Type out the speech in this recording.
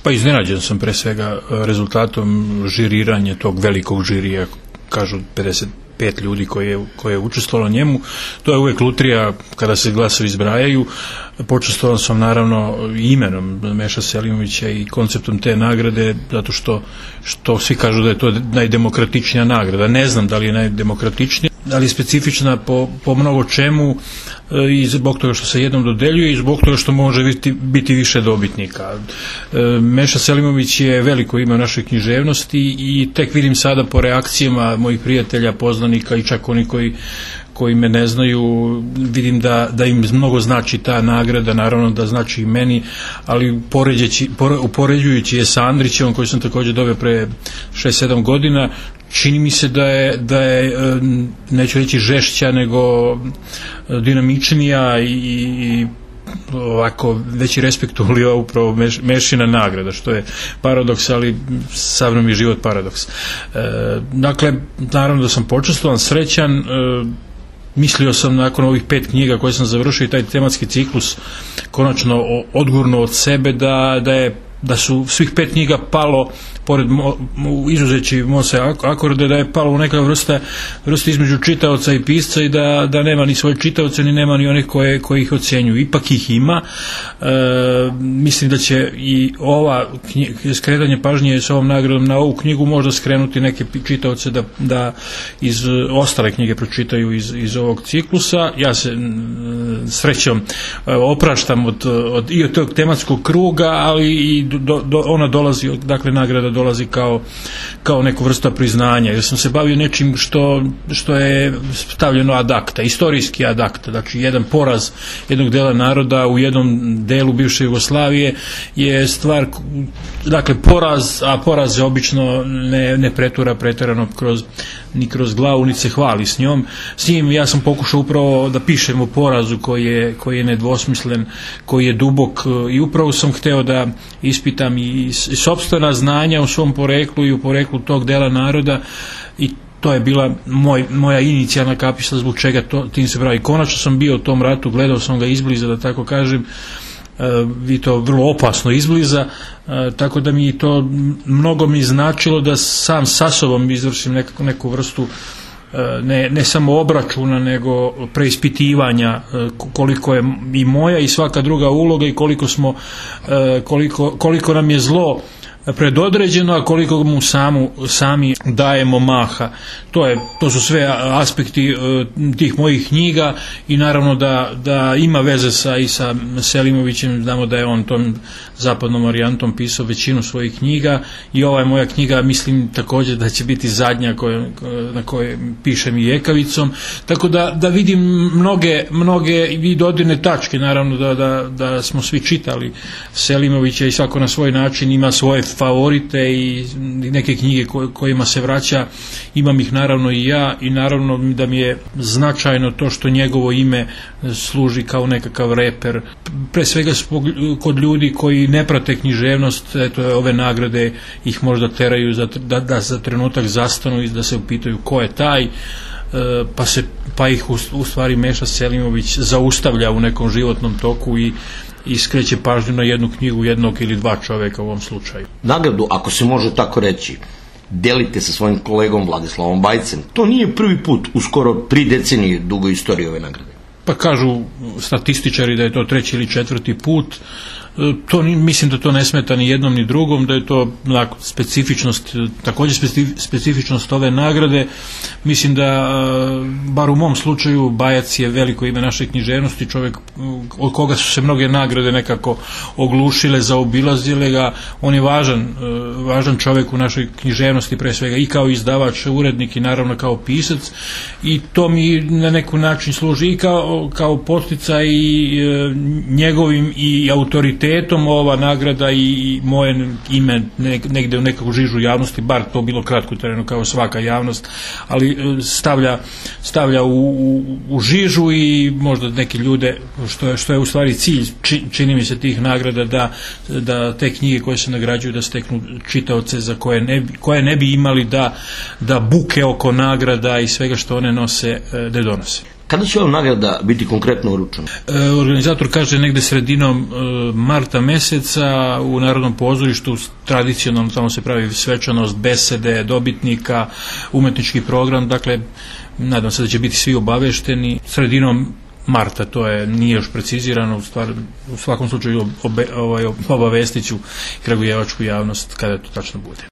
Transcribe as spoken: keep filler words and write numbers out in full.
Pa iznenađen sam pre svega rezultatom žiriranja tog velikog žirija, kažu pedeset pet ljudi koje je, koje je učestvovalo njemu. To je uvek lutrija kada se glasovi izbrajaju. Počestvovan sam naravno imenom Meša Selimovića i konceptom te nagrade, zato što, što svi kažu da je to najdemokratičnija nagrada. Ne znam da li je najdemokratičnija, ali je specifična po, po mnogo čemu i zbog toga što se jednom dodeljuje i zbog toga što može biti, biti više dobitnika. Meša Selimović je veliko ime u našoj književnosti i tek vidim sada po reakcijama mojih prijatelja, poznanika i čak oni koji koji me ne znaju, vidim da, da im mnogo znači ta nagrada, naravno da znači i meni, ali upoređujući je sa Andrićevom, koji sam također dobio pre šest sedam godina, čini mi se da je, da je neću reći žešća, nego dinamičnija i, i ovako veći respekt ulio upravo meš, Mešina nagrada, što je paradoks, ali sav mi je život paradoks. E, dakle, naravno da sam počestvovan, srećan, e, mislio sam nakon ovih pet knjiga koje sam završio i taj tematski ciklus konačno odgurno od sebe da, da je da su svih pet knjiga palo, pored mo, izuzeći Mose akorde, da je palo u neka vrsta, vrsta između čitaoca i pisca i da, da nema ni svoje čitaoce, ni nema ni onih koje, koji ih ocjenjuju. Ipak ih ima. E, mislim da će i ova knjiga, skretanje pažnje s ovom nagradom na ovu knjigu možda skrenuti neke čitaoce da, da iz ostale knjige pročitaju iz, iz ovog ciklusa. Ja se srećom opraštam od, od, i od tog tematskog kruga, ali i do, do, ona dolazi, dakle nagrada dolazi kao, kao neku vrsta priznanja, jer sam se bavio nečim što, što je stavljeno ad acta, istorijski ad acta, znači jedan poraz jednog dela naroda u jednom delu bivše Jugoslavije je stvar, dakle poraz, a poraz je obično ne, ne pretura preterano kroz, ni kroz glavu, ni se hvali s njom. S njim ja sam pokušao upravo da pišem o porazu koji je, koji je nedvosmislen, koji je dubok, i upravo sam hteo da ispitam i, i sopstvena znanja u svom poreklu i u poreklu tog dela naroda, i to je bila moj, moja inicijalna kapisla zbog čega to, tim se pravi. Konačno sam bio u tom ratu, gledao sam ga izbliza, da tako kažem, i to vrlo opasno izbliza, tako da mi to mnogo mi značilo da sam sa sobom izvršim neku, neku vrstu ne, ne samo obračuna, nego preispitivanja koliko je i moja i svaka druga uloga i koliko smo, koliko, koliko nam je zlo predodređeno, a koliko mu samu, sami dajemo maha. To, je, to su sve aspekti uh, tih mojih knjiga, i naravno da, da ima veze sa, i sa Selimovićem. Znamo da je on tom zapadnom varijantom pisao većinu svojih knjiga, i ova je moja knjiga, mislim također da će biti zadnja koje, na kojoj pišem i Ekavicom, tako da, da vidim mnoge, mnoge i dodirne tačke. Naravno da, da, da smo svi čitali Selimovića i svako na svoj način ima svoje favorite i neke knjige kojima se vraća, imam ih naravno i ja, i naravno da mi je značajno to što njegovo ime služi kao nekakav reper, pre svega kod ljudi koji ne prate književnost. Eto, ove nagrade ih možda teraju za, da, da za trenutak zastanu i da se upitaju ko je taj, pa, se, pa ih u, u stvari Meša Selimović zaustavlja u nekom životnom toku i i skreće pažnju na jednu knjigu jednog ili dva čoveka u ovom slučaju. Nagradu, ako se može tako reći, delite sa svojim kolegom Vladislavom Bajcem. To nije prvi put u skoro tri decenije dugoj istoriji ove nagrade. Pa kažu statističari da je to treći ili četvrti put. To, mislim da to ne smeta ni jednom ni drugom, da je to specifičnost, također specifičnost ove nagrade. Mislim da, bar u mom slučaju, Bajac je veliko ime naše književnosti, čovjek od koga su se mnoge nagrade nekako oglušile, zaobilazile ga. On je važan, važan čovjek u našoj književnosti, pre svega i kao izdavač, urednik i naravno kao pisac, i to mi na neki način služi i kao, kao podsticaj i njegovim i autoritetom ova nagrada i moje ime negde u nekakvu žižu javnosti, bar to bilo kratko terenu kao svaka javnost, ali stavlja, stavlja u, u, u žižu i možda neke ljude, što je, što je u stvari cilj, či, čini mi se, tih nagrada, da, da te knjige koje se nagrađuju da steknu čitaoce za koje ne, koje ne bi imali da, da buke oko nagrada i svega što one nose, da donose. Kada će ova nagrada biti konkretno uručena? E, organizator kaže negde sredinom e, marta meseca u Narodnom pozorištu. Tradicionalno tamo se pravi svečanost, besede dobitnika, umetnički program, dakle nadam se da će biti svi obavešteni sredinom marta, to je, nije još precizirano, u, stvar, u svakom slučaju obe, ovaj, obavestit ću kragujevačku javnost kada to tačno bude.